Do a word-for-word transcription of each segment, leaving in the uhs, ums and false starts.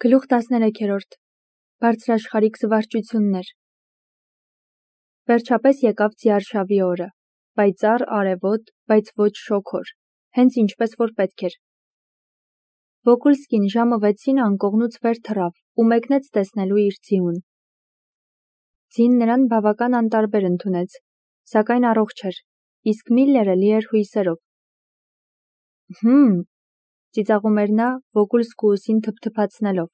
Գլուխ տասներեքերորդ Բարձրաշխարհիկ զվարճություններ Վերջապես եկավ ձիարշավի օրը, պայծառ արևոտ, բայց ոչ շոգոր, հենց ինչպես որ պետք էր։ Վոկուլսկին ժամը վեցին անկողնուց վեր թռավ ու մեկնեց տեսնելու իր ձիուն։ Ձին նրան բավական անտարբեր ընդունեց, սակայն առողջ էր, իսկ Միլլերը լի էր հույսերով։ Հմ, ծիծաղում էր նա Վոկուլսկու ուսին թփթփացնելով։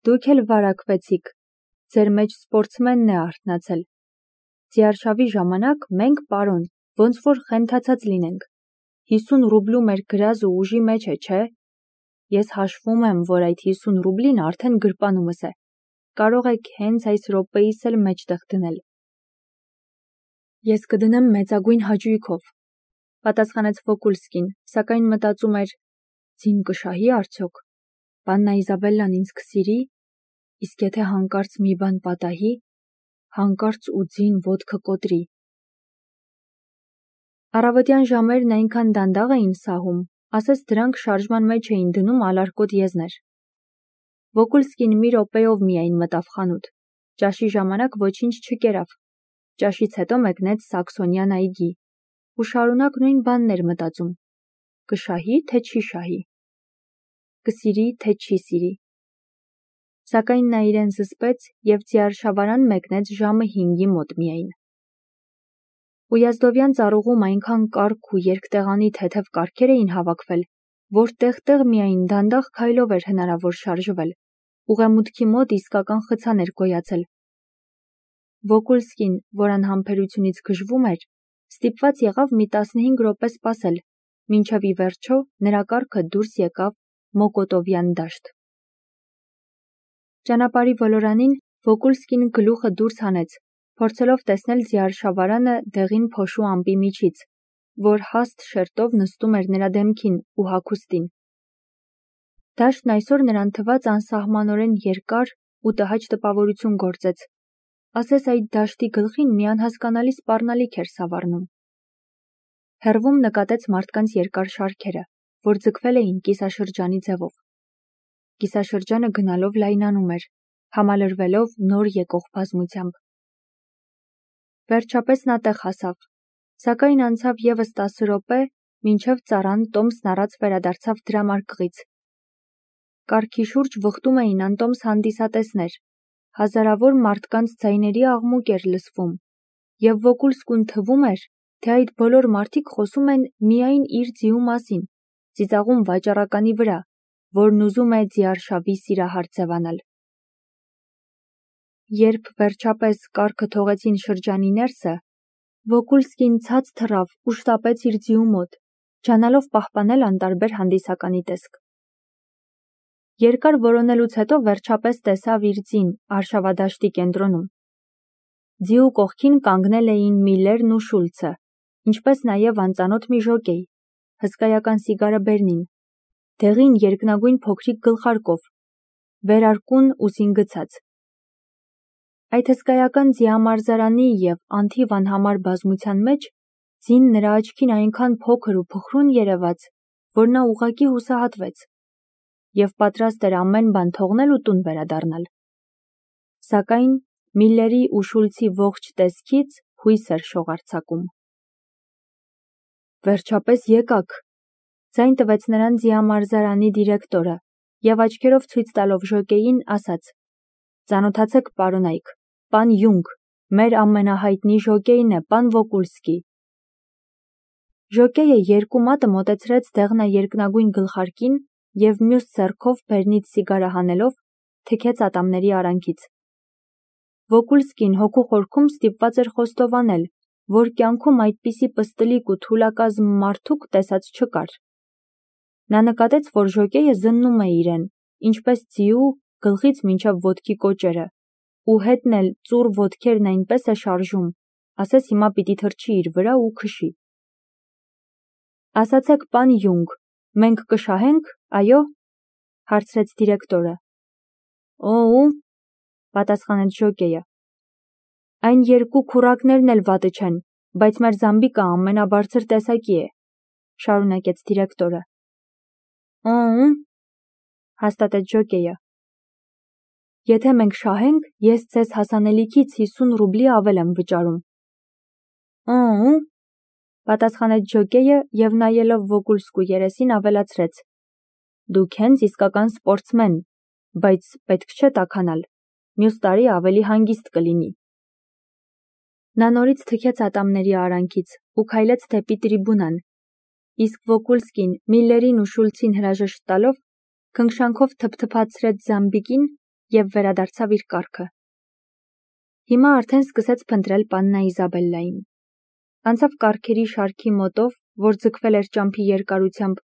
Դուք էլ վարակվեցիք, ձեր մեջ սպորտսմենն է արթնացել։ Ձիարշավի ժամանակ մենք, պարոն, ոնց որ խենթացած լինենք։ հիսուն ռուբլու մեր գրազ ու ուժի մեջ է, չէ՞։ Ես հաշվում եմ, որ այդ հիսուն ռուբլին արդեն գրպանումս է։ Կարող եք հենց այս րոպեիս էլ մեջտեղ դնել։ Ես կդնեմ մեծագույն հաճույքով, պատասխանեց Վոկուլսկին, սակայն մտածում էր. ձին կշահի արդյոք։ Պաննա Իզաբելլան ինձ կսիրի, իսկ եթե հանկարծ մի բան պատահի, հանկարծ ու ձին ոտքը կոտրի։ Առավոտյան ժամերն այնքան դանդաղ էին սահում, ասես դրանք շարժման մեջ էին դնում ալարկոտ եզներ։ Վոկուլսկին մի րոպեով միայն մտավ խանութ, ճաշի ժամանակ ոչինչ չկերավ, ճաշից հետո մեկնեց Սաքսոնյան այգի ու շարունակ նույն բանն էր մտածում. կշահի, թե չի շահի, կսիրի, թե չի սիրի։ Սակայն նա իրեն զսպեց և ձիարշավարան մեկնեց ժամը հինգի մոտ միայն։ Ույազդովյան ծառուղում այնքան կառք ու երկտեղանի թեթև կառքեր էին հավաքվել, որ տեղ-տեղ միայն դանդաղ քայլով էր հնարավոր շարժվել, ուղեմուտքի մոտ իսկական խցան էր գոյացել։ Վոկուլսկին, որ անհամբերությունից գժվում էր, ստիպված եղավ մի տասնհինգ րոպե սպասել, մինչև ի վերջո նրա կառքը դուրս եկավ Մոկոտովյան դաշտ։ Ճանապարհի ոլորանին Վոկուլսկին գլուխը դուրս հանեց, փորձելով տեսնել ձիարշավարանը դեղին փոշու ամպի միջից, որ հաստ շերտով նստում էր նրա դեմքին ու հագուստին։ Դաշտն այսօր նրան թվաց անսահմանորեն երկար ու տհաճ տպավորություն գործեց, ասես այդ դաշտի գլխին մի անհասկանալի սպառնալիք էր սավառնում։ Հեռվում նկատեց մարդկանց երկար շարքերը, որ ձգվել էին կիսաշրջանի ձևով։ Կիսաշրջանը գնալով լայնանում էր, համալրվելով նոր եկող բազմությամբ։ Վերջապես նա տեղ հասավ, սակայն անցավ ևս տասը րոպե, մինչև ծառան տոմսն առած վերադարձավ դրամարկղից։ Կառքի շուրջ վխտում էին անտոմս հանդիսատեսներ, հազարավոր մարդկանց ձայների աղմուկ էր լսվում, և Վոկուլսկուն թվում էր, թե այդ բոլոր մարդիկ խոսում են միայն իր ձիու մասին, ծիծաղում վաճառականի վրա, որն ուզում է ձիարշավի սիրահար ձևանալ։ Երբ վերջապես կառքը թողեցին շրջանի ներսը, Վոկուլսկին ցած թռավ ու շտապեց իր ձիու մոտ, ջանալով պահպանել անտարբեր հանդիսականի տեսք։ Երկար որոնելուց հետո վերջապես տեսավ իր ձին արշավադաշտի կենտրոնում։ Ձիու կողքին կանգնել էին Միլլերն ու Շուլցը, ինչպես նաև անծանոթ մի ժոկեյ, հսկայական սիգարը բերնին, դեղին երկնագույն փոքրիկ գլխարկով, վերարկուն ուսին գցած։ Այդ հսկայական ձիամարզարանի և անթիվ անհամար բազմության մեջ ձին նրա աչքին այնքան փոքր ու փխրուն երևաց, որ նա ուղղակի հուսահատվեց և պատրաստ էր ամեն բան թողնել ու տուն վերադառնալ։ Սակայն Միլլերի ու Շուլցի ողջ տեսքից հույս էր շողարցակում։ Վերջապես եկաք, ձայն տվեց նրան ձիամարզարանի դիրեկտորը և աչքերով ցույց տալով ժոկեյին ասաց. «Ծանոթացեք, պարոնայք, պան Յունգ, մեր ամենահայտնի ժոկեյն է, պան Վոկուլսկի»։ Ժոկեյը երկու մատը մոտեցրեց դեղնաերկնագույն գլխարկին և մյուս ձեռքով բերնից սիգարը հանելով թքեց ատամների արանքից։ Վոկուլսկին հոգու խորքում ստիպված էր խոստովանել, որ կյանքում այդպիսի պստլիկ ու թուլակազմ մարդուկ տեսած չկար։ Նա նկատեց, որ ժոկեյը զննում է իրեն, ինչպես ձիու, գլխից մինչև ոտքի կոճերը, ու հետն էլ ծուռ ոտքերն այնպես է շարժում, ասես հիմա պիտի թռչի իր վրա ու քշի։ «Ասացեք, պան Յունգ, մենք կշահե՞նք, այո», հարցրեց դիրեկտորը։ «Օ՜ւ», պատասխանեց ժոկեյը։ «Այն երկու քուռակներն էլ վատը չեն, բայց մեր զամբիկը ամենաբարձր տեսակի է», շարունակեց դիրեկտորը։ «Օ՜ւ», հաստատեց ժոկեյը, Եթե մենք շահենք, ես ձեզ հասանելիքից հիսուն ռուբլի ավել եմ վճարում։ Ո՞ւ, պատասխանեց ջոկեյը և նայելով Վոկուլսկու երեսին ավելացրեց. Դուք հենց իսկական սպորտսմեն, բայց պետք չէ տաքանալ, մյուս տարի ավելի հանգիստ կլինի։ Նա նորից թքեց ատամների արանքից ու քայլեց դեպի տրիբունան, իսկ Վոկուլսկին Միլլերին ու Շուլցին հրաժեշտ տալով քնքշանքով թփթփացրեց Զամբիկին և վերադարձավ իր կառքը։ Հիմա արդեն սկսեց փնտրել պաննա Իզաբելլային։ Անցավ կառքերի շարքի մոտով, որ ձգվել էր ճամփի երկարությամբ,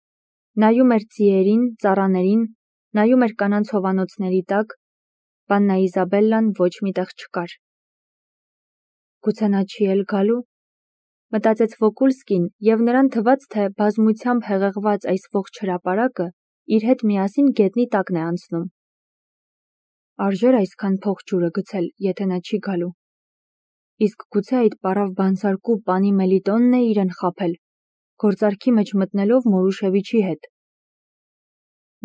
նայում էր ձիերին, ծառաներին, նայում էր կանանց հովանոցների տակ, պաննա Իզաբելլան ոչ մի տեղ չկար։ Գուցե նա չի էլ գալու, մտածեց Վոկուլսկին, և նրան թվաց, թե բազմությամբ հեղեղված այս ողջ հրապարակը իր հետ միասին գետնի տակն է անցնում։ Արժեր այսքան փող ջուրը գցել, եթե նա չի գալու։ Իսկ գուցե այդ պառավ բանսարկու պանի Մելիտոնն է իրեն խաբել, գործարքի մեջ մտնելով Մորուշևիչի հետ։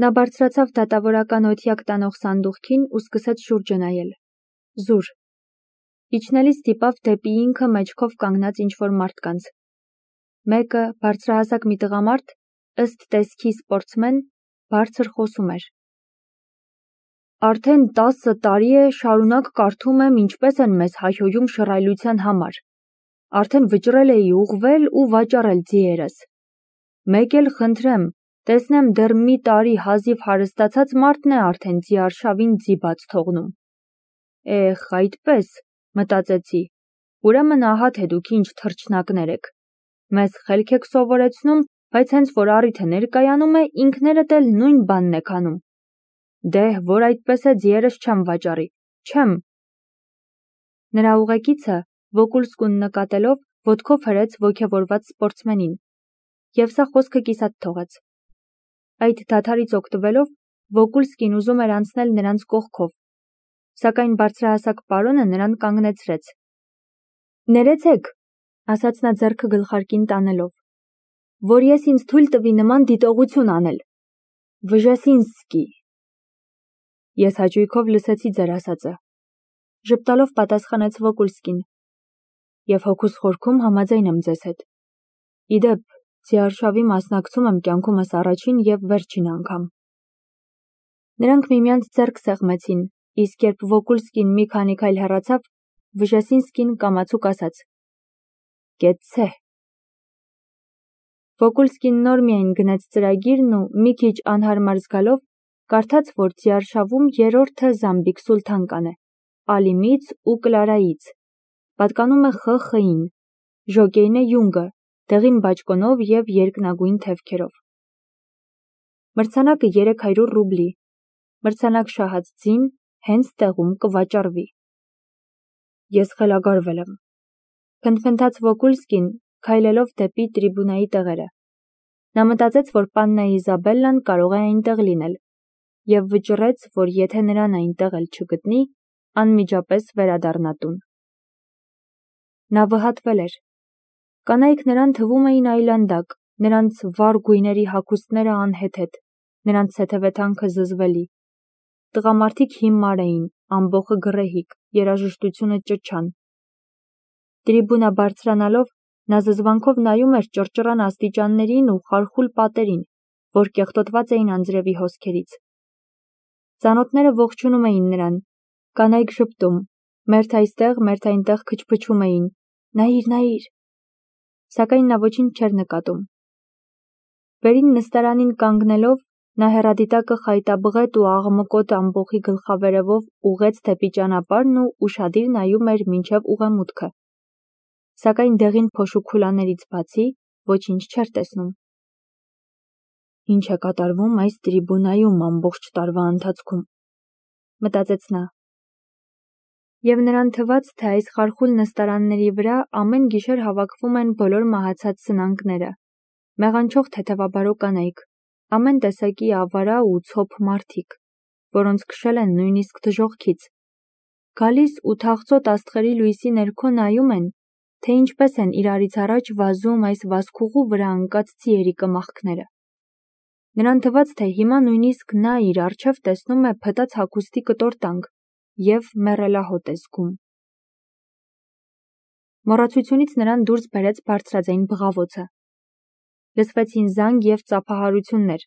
Նա բարձրացավ դատավորական օթյակ տանող սանդուղքին ու սկսեց շուրջը նայել։ Զուր։ Իջնելիս դիպավ դեպի ինքը մեջքով կանգնած ինչ-որ մարդկանց։ Մեկը, բարձրահասակ մի տղամարդ, ըստ տեսքի սպորտսմեն, բարձր խոսում էր։ Արդեն տասը տարի է շարունակ կարդում եմ, ինչպես են մեզ հայհոյում շռայլության համար։ Արդեն վճռել էի ուղղվել ու վաճառել ձիերս։ Մեկ էլ խնդրեմ, տեսնեմ դեռ մի տարի հազիվ հարստացած մարդն է արդեն ձիարշավին ձի բաց թողնում։ Էխ, այդպես, մտածեցի, ուրեմն ահա թե դուք ինչ թռչնակներ եք։ Մեզ խելք եք սովորեցնում, բայց հենց որ առիթը ներկայանում է, ինքներդ էլ նույն բանն եք անում։ Դե, որ այդպես է, ձիերս չեմ վաճառի, չեմ։ Նրա ուղեկիցը, Վոկուլսկուն նկատելով, ոտքով հրեց ոգևորված սպորտսմենին, և սա խոսքը կիսատ թողեց։ Այդ դադարից օգտվելով, Վոկուլսկին ուզում էր անցնել նրանց կողքով, սակայն բարձրահասակ պարոնը նրան կանգնեցրեց։ Ներեցեք, ասաց նա ձեռքը գլխարկին տանելով, որ ես ինձ թույլ տվի նման դիտողություն անել։ Վժեսինսկի։ Ես հաճույքով լսեցի ձեր ասածը, ժպտալով պատասխանեց Վոկուլսկին, և հոգուս խորքում համաձայն եմ ձեզ հետ։ Իդեպ, ձիարշավի մասնակցում եմ կյանքումս առաջին և վերջին անգամ։ Նրանք միմյանց ձեռք սեղմեցին, իսկ երբ Վոկուլսկին մի քանի քայլ հեռացավ, Վժեսինսկին կամացուկ ասաց. Կեցցե։ Վոկուլսկին նոր միայն գնեց ծրագիրն ու մի քիչ անհարմար զգալով, կարդաց, որ ձիարշավում երրորդը Զամբիկ Սուլթանկան է, Ալիմից ու Կլարայից, պատկանում է Խ Խ-ին, ժոկեյն է Յունգը, դեղին բաճկոնով և երկնագույն թևքերով։ Մրցանակը երեք հարյուր ռուբլի, մրցանակ շահած ձին հենց տեղում կվաճառվի։ Ես խելագարվել եմ, փնթփնթաց Վոկուլսկին, քայլելով դեպի տրիբունայի տեղերը։ Նա մտածեց, որ պաննա Իզաբելլան կարող է այնտեղ լինել, և վճռեց, որ եթե նրան այնտեղ էլ չգտնի, անմիջապես վերադառնա տուն։ Նա վհատվել էր։ Կանայք նրան թվում էին այլանդակ, նրանց վառ գույների հագուստները անհեթեթ, նրանց թեթևեթանքը զզվելի։ Տղամարդիկ հիմար էին, ամբոխը գռեհիկ, երաժշտությունը ճչան։ Տրիբունա բարձրանալով, նա զզվանքով նայում էր ճռճռան աստիճաններին ու խարխուլ պատերին, որ կեղտոտված էին անձրևի հոսքերից։ Ծանոթները ողջունում էին նրան, կանայք ժպտում, մերթ այստեղ, մերթ այնտեղ քչփչում էին. Նայիր, նայիր։ Սակայն նա ոչինչ չէր նկատում։ Վերին նստարանին կանգնելով, նա հեռադիտակը խայտաբղետ ու աղմկոտ ամբոխի գլխավերևով ուղղեց դեպի ճանապարհն ու ուշադիր նայում էր մինչև ուղեմուտքը։ Սակայն դեղին փոշու քուլաներից բացի ոչինչ չէր տեսնում։ Ինչ է կատարվում այս տրիբունայում ամբողջ տարվա ընթացքում, մտածեց նա։ Եվ նրան թվաց, թե այս խարխուլ նստարանների վրա ամեն գիշեր հավաքվում են բոլոր մահացած սնանկները, մեղանչող թեթևաբարո կանայք, ամեն տեսակի ավարա ու ցոփ մարդիկ, որոնց քշել են նույնիսկ դժոխքից, գալիս ու թախծոտ աստղերի լույսի ներքո նայում են, թե ինչպես են իրարից առաջ վազում այս վազքուղու վրա ընկած ձիերի կմախքները։ Նրան թվաց, թե հիմա նույնիսկ նա իր առջև տեսնում է փտած հագուստի կտոր տանք, և մեռելահոտ է զգում։ Մոռացությունից նրան դուրս բերեց բարձրաձայն բղավոցը։ Լսվեցին զանգ և ծափահարություններ։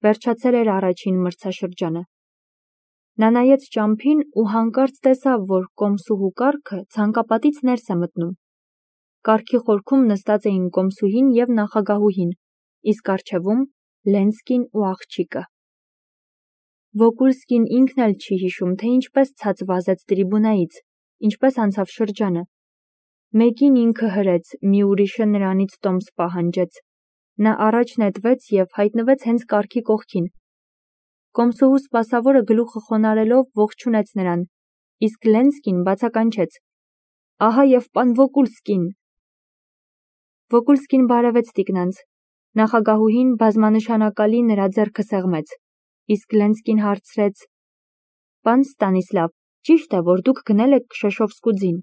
Վերջացել էր առաջին մրցաշրջանը։ Նա նայեց ճամփին ու հանկարծ տեսավ, որ կոմսուհու կառքը ցանկապատից ներս է մտնում։ Կառքի խորքում նստած էին կոմսուհին և նախագահուհին, իսկ առջևում Լենսկին ու աղջիկը։ Վոկուլսկին ինքն էլ չի հիշում, թե ինչպես ցած վազեց տրիբունայից, ինչպես անցավ շրջանը։ Մեկին ինքը հրեց, մի ուրիշը նրանից տոմս պահանջեց։ Նա առաջ նետվեց և հայտնվեց հենց կառքի կողքին։ Կոմսուհու սպասավորը գլուխը խոնարհելով ողջունեց նրան, իսկ Լենսկին բացականչեց. «Ահա և պան Վոկուլսկին»։ Վոկուլսկին բարևեց տիկնանց։ Նախագահուհին բազմանշանակալի նրա ձեռքը սեղմեց, իսկ Լենսկին հարցրեց. «Պան Ստանիսլավ, ճի՞շտ է, որ դուք գնել եք Քշեշովսկու ձին»։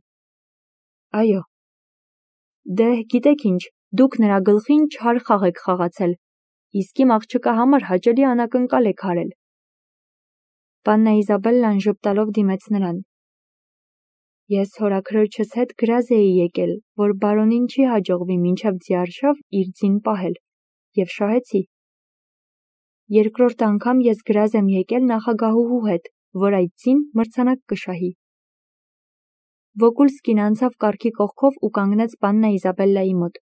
Այո։ Դե, գիտեք ինչ, դուք նրա գլխին չար խաղ եք խաղացել, իսկ իմ աղջկա համար հաճելի անակնկալ եք արել։ Պաննա Իզաբելլան ժպտալով դիմեց նրան։ Ես հորաքրոջս հետ գրազ էի եկել, որ բարոնին չի հաջողվի մինչև ձիարշավ իր ձին պահել, և շահեցի։ Երկրորդ անգամ ես գրազ եմ եկել նախագահուհու հետ, որ այդ ձին մրցանակ կշահի։ Վոկուլսկին անցավ կառքի կողքով ու կանգնեց պաննա Իզաբելլայի մոտ։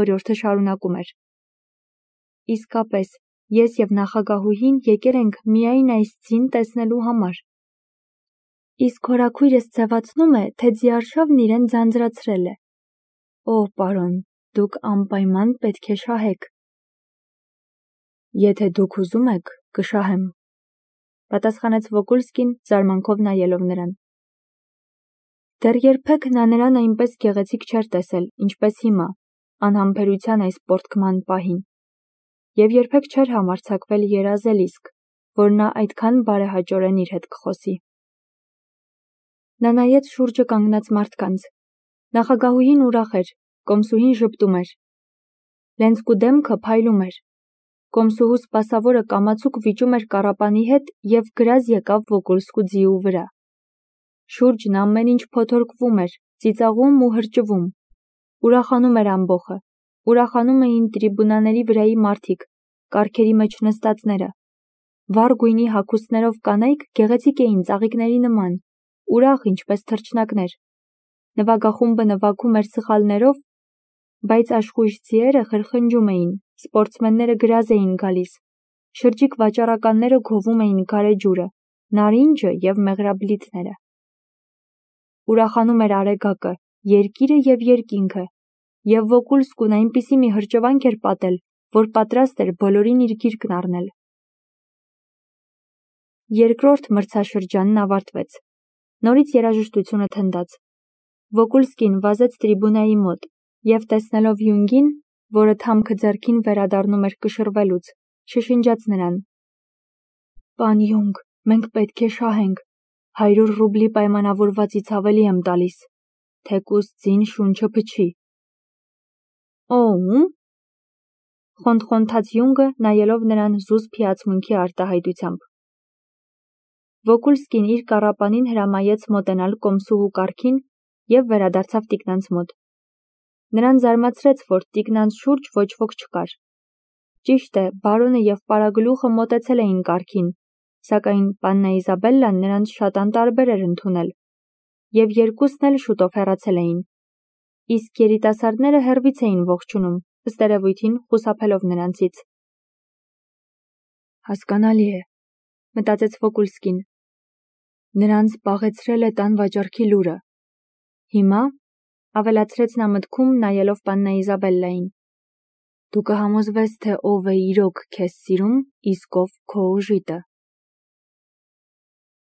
Օրիորդը շարունակում էր. Իսկապես, ես և նախագահուհին եկել ենք միայն այս ձին տեսնելու համար։ Իսկ հորաքույրս ձևացնում է, թե ձիարշավն իրեն ձանձրացրել է։ Օ, պարոն, դուք անպայման պետք է շահեք։ Եթե դուք ուզում եք, կշահեմ, պատասխանեց Վոկուլսկին, զարմանքով նայելով նրան։ Դեռ երբեք նա նրան այնպես գեղեցիկ չէր տեսել, ինչպես հիմա, անհամբերության այս պոռթկման պահին, և երբեք չէր համարձակվել երազել իսկ, որ նա այդքան բարեհաճորեն իր հետ կխոսի։ Նա նայեց շուրջը կանգնած մարդկանց։ Նախագահուհին ուրախ էր, կոմսուհին ժպտում էր։ Լենսկու դեմքը փայլում էր։ Կոմսուհու սպասավորը կամացուկ վիճում էր կառապանի հետ և գրազ եկավ Վոկուլսկու ձիու վրա։ Շուրջն ամեն ինչ փոթորկվում էր, ծիծաղում ու հրճվում։ Ուրախանում էր ամբոխը։ Ուրախանում էին տրիբունաների վրայի մարդիկ, կառքերի մեջ նստածները։ Վառ գույնի հագուստներով կանայք գեղեցիկ էին ծաղիկների նման, ուրախ ինչպես թռչնակներ։ Նվագախումբը նվագում էր սխալներով, բայց աշխույժ ձիերը խրխնջում էին, սպորտսմենները գրազ էին գալիս, շրջիկ վաճառականները գովում էին գարեջուրը, նարինջը և մեղրաբլիթները։ Ուրախանում էր արեգակը, երկիրը և երկինքը, և Վոկուլսկուն այնպիսի մի հրճվանք էր պատել, որ պատրաստ էր բոլորին իր գիրկն առնել։ Երկրորդ մրցաշրջանն ավարտվեց։ Նորից երաժշտությունը թնդաց։ Վոկուլսկին վազեց տրիբունայի մոտ և տեսնելով Յունգին, որը թամքը ձեռքին վերադառնում էր կշռվելուց, շշնջաց նրան. Պան Յունգ, մենք պետք է շահենք, հարյուր ռուբլի պայմանավորվածից ավելի եմ տալիս, թեկուզ ձին շունչը փչի։ Օ՞ւմ։ Խոնթխոնթաց Յունգը, նայելով նրան զուսպ հիացմունքի արտահայտությամբ։ Վոկուլսկին իր կառապանին հրամայեց մոտենալ կոմսուհու կառքին և վերադարձավ տիկնանց մոտ։ Նրան զարմացրեց, որ տիկնանց շուրջ ոչ ոք չկար։ Ճիշտ է, բարոնը և պարագլուխը մոտեցել էին կառքին, սակայն պաննա Իզաբելլան նրանց շատ անտարբեր էր ընդունել, և երկուսն էլ շուտով հեռացել էին։ Իսկ երիտասարդները հեռվից էին ողջունում, ըստ երևույթին խուսափելով նրանցից։ Հասկանալի է, մտածեց Վոկուլսկին։ Նրանց պաղեցրել է տան վաճառքի լուրը։ Հիմա, ավելացրեց նա մտքում, նայելով պաննա Իզաբելլային, դու կհամոզվես, թե ով է իրոք քեզ սիրում, իսկ ով քո օժիտը։